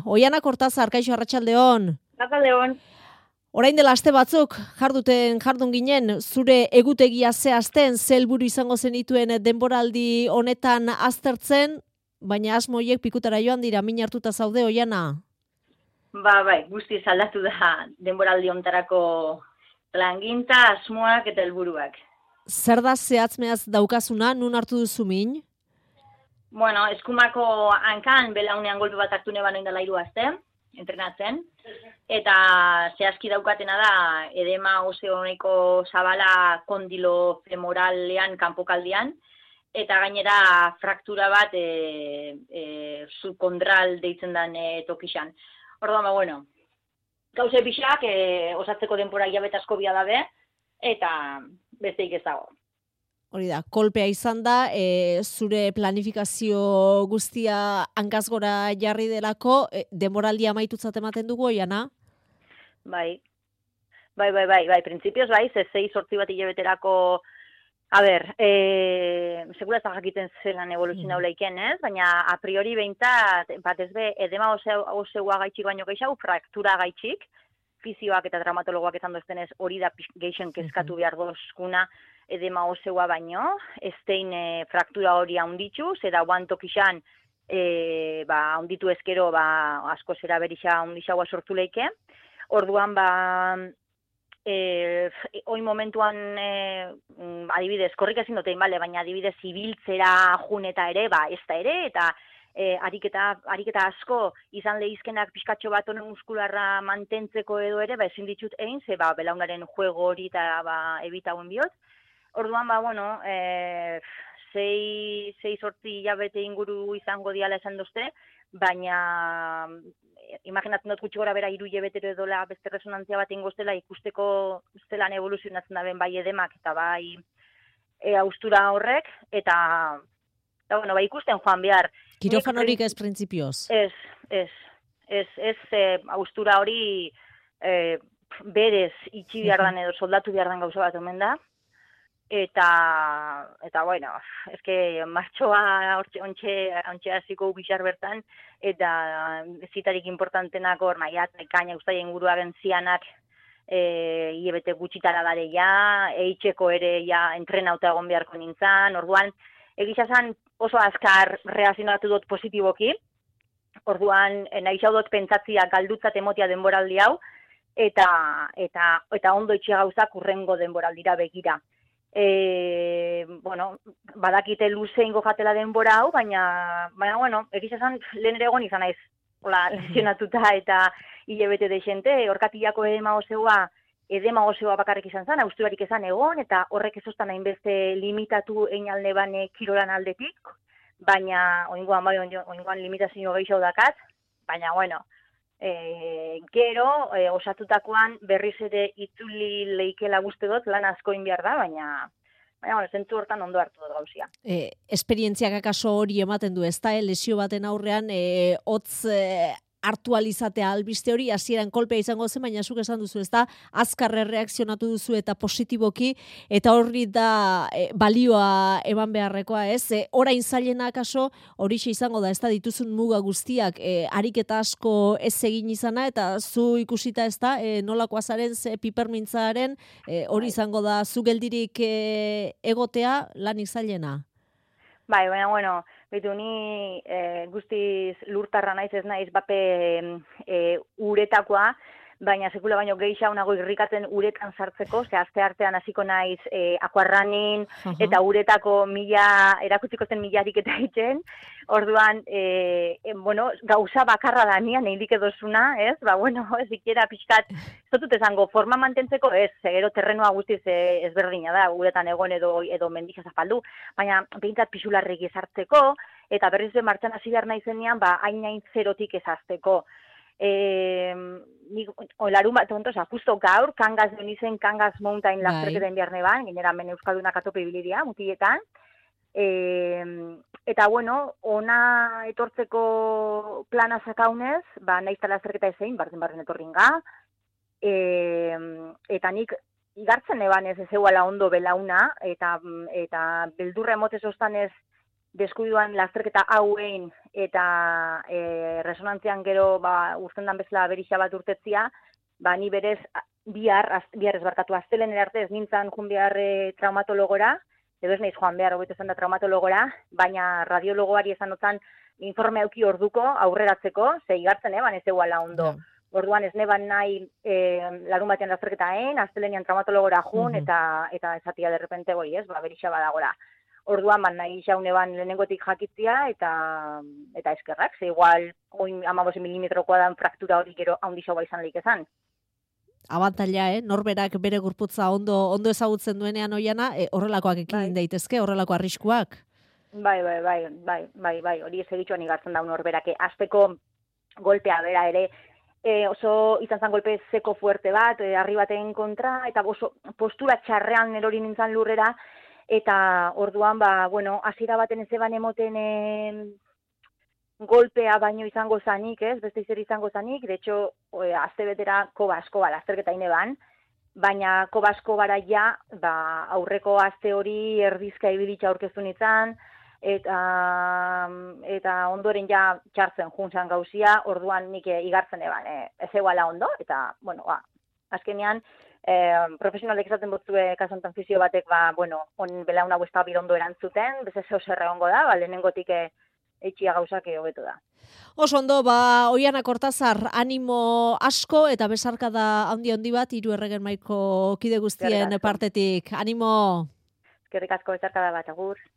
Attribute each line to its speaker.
Speaker 1: Oiana Kortazar, kaixo arratsaldeon.
Speaker 2: Arratsaldeon.
Speaker 1: Orain dela aste batzuk jardun ginen, zure egutegia zehazten, ze helburu izango zenituen denboraldi honetan aztertzen, baina asmoiek pikutara joan dira, min hartuta zaude, Oiana?
Speaker 2: Bai, guztiz aldatu da denboraldi hontarako plangintza, asmoak eta helburuak.
Speaker 1: Zer da zehatz-mehatz daukazuna, nun hartu duzu min?
Speaker 2: Bueno, eskumako hankan belaunean golpe bat hartu neban oindela 3 aste, entrenatzen, eta zehazki daukatena da edema oseoneko zabala kondilo femoralean kanpokaldian, eta gainera fraktura bat subkondral deitzen den tokixan. Orduan, bueno, gauze pixak osatzeko denbora hilabete asko bia dabe, eta besteik ez dago.
Speaker 1: Hori da, kolpea izan da, zure planifikazio guztia hankaz-gora jarri delako, denboraldia amaitutzat ematen dugu, Oiana?
Speaker 2: Bai, printzipioz bai, 6-8 bat hilabeterako, segura ez da jakiten zelan evoluzionau leiken, ez? Baina a priori behintzat, bat ez be, edema oseua gaitxik baino gehiago, fraktura gaitxik, fizioak eta traumatologoak esan doztenez hori da geixen kezkatu behar dozkuna edema oseua baino, estein fraktura hori haunditzu, zera guantokixan haunditu ezkero asko zera berixa haundixaua sortu leike. Orduan, oin momentuan, adibidez, korrik ezin dutein, baina adibidez, ibiltzera juneta ere, ez da ere, eta ariketa asko izan lehizkenak pixkatxo bat honen muskularra mantentzeko edo ere, ezin ditut egin, ze belaunaren juego hori eta ebitauen bihot. Orduan, 6-8 hilabete inguru izango diala esan dozte, baina imaginatzen dut gutxi gora bera 3 hilabetero edola beste resonantzia bat ingoztela ikusteko zelan evoluzionatzen da ben bai edemak eta bai austura horrek, eta ikusten joan behar.
Speaker 1: Kirofanorik ez printzipioz?
Speaker 2: Ez austura hori berez itxi behar dan edo soldatu behar dan gauza bat omen da. Eta bueno, eske martxoa ontxe hasiko bixar bertan, eta zitarik importantenak hor, maiat, ekaina ustaia inguruaren zianak hilabete gutxitara dare ja, eitzeko ere ja entrenauta egon beharko nintzen, orduan, egizazan oso azkar reazionatu dut positiboki, orduan nahi dut pentsatzia galdutzat emotia denboraldi hau, eta ondo itxia gauzak urrengo denboraldira begira. Badakite luze ingo jatela denbora hau, baina egizazan lehen ere egon izan naiz lesionatuta eta hilabete deixente, orkatillako edema oseua bakarrik izan zen, austurarik izan egon, eta horrek ezostan hainbeste limitatu einalne bane kirolan aldetik, baina oingoan limitazio gehiago dakat, baina gero osatutakoan berriz ere itzuli leikela guzti dut, lan askoin behar da, baina zentzu hortan ondo hartu dut gauzia.
Speaker 1: Esperientziak akaso hori ematen du, ez da, lesio baten aurrean, hotz hartualizatea albiste hori, hasieran kolpea izango zen, baina zuk esan duzu, ez da, azkarre reakzionatu duzu eta positiboki, eta horri da balioa eman beharrekoa, ez? Orain zailena akaso, horixe izango da, ez da, dituzun muga guztiak, ariketa asko ez egin izana, eta zu ikusita, ez da, nolakoa zaren, pipermintzaren, hori izango da, zu geldirik egotea, lanik zailena?
Speaker 2: Bai, baina, betu ni guztiz lurtarra naiz ez naiz bape uretakoa, baina sekula baino gehiago nago irrikatzen uretan sartzeko, ze aste artean hasiko naiz aquarrunning eta uretako erakutziko zen milarik eta egiten. Orduan, gauza bakarra da nian eindik edozuna, ez? Ez ikera pixkat, ez dut esango, forma mantentzeko, ez, gero terrenua guztiz ezberdina da, uretan egon edo mendija zapaldu, baina behintzat pixularrik ezartzeko, eta berriz martxan hasi behar nahi zenean, hain zerotik ezazteko. Larun bat, justo gaur, Kangaz donizen, Kangaz Mountain lasterketen behar neban, genera men Euskaldunak atope bilidia, mutiletan, eta ona etortzeko plana zakaunez, nahiz tala lasterketa ezein, barren etorringa, eta nik igartzen eban ez ezeuala ondo belauna, eta beldurra emotez ostanez deskuiduan lasterketa hauen eta resonantzian gero uzten dan bezala berixa bat urtetzia, ni berez bihar ez barkatu astelehen arte ez nintzen joan behar traumatologora, edo ez naiz joan behar hobeto esan da traumatologora, baina radiologoari esan notzan informe auki orduko aurreratzeko, ze igartzen ez eguala ondo. Yeah. Orduan ez neban nahi larun batean lasterketaen, astelenean traumatologora jun, eta esatia derrepente berixa badagora. Orduan, nahi xaune lehenengotik jakitzia, eta eskerrak, ze igual 15 milimetrokoa dan fraktura hori gero haundi xau izan lik ezan.
Speaker 1: Abantaila, norberak bere gorputza ondo ezagutzen duenean oiana, horrelakoak ekin daitezke, horrelako arriskuak.
Speaker 2: Bai, hori ez egitxoan igartzen da norberak. Azteko golpea bera ere, oso izan zen golpe zeko fuerte bat, harri baten kontra, eta oso postura txarrean erori nintzen lurrera, eta orduan, hasiera baten ez eban emoten golpea baino izango zanik, beste izer izango zanik, de hecho, azte betera koba lasterketa ineban, baina koba bara ja, aurreko azte hori erdizka ibilitza aurkeztu nintzen, eta ondoren ja txartzen juntzan gauzia, orduan nik igartzen eban, ez eguala ondo, eta, azkenean, profesionalek esaten botzue kasontan fizio batek, on belauna ez da birondo erantzuten, bez ez zer ongo da, lehenengotik eitxia gauzak hobeto da.
Speaker 1: Oso ondo, Oiana Kortazar, animo asko eta besarkada handi bat, Hiru Erregen Mahaiko kide guztien partetik. Animo!
Speaker 2: Eskerrik asko besarkada bat, agur.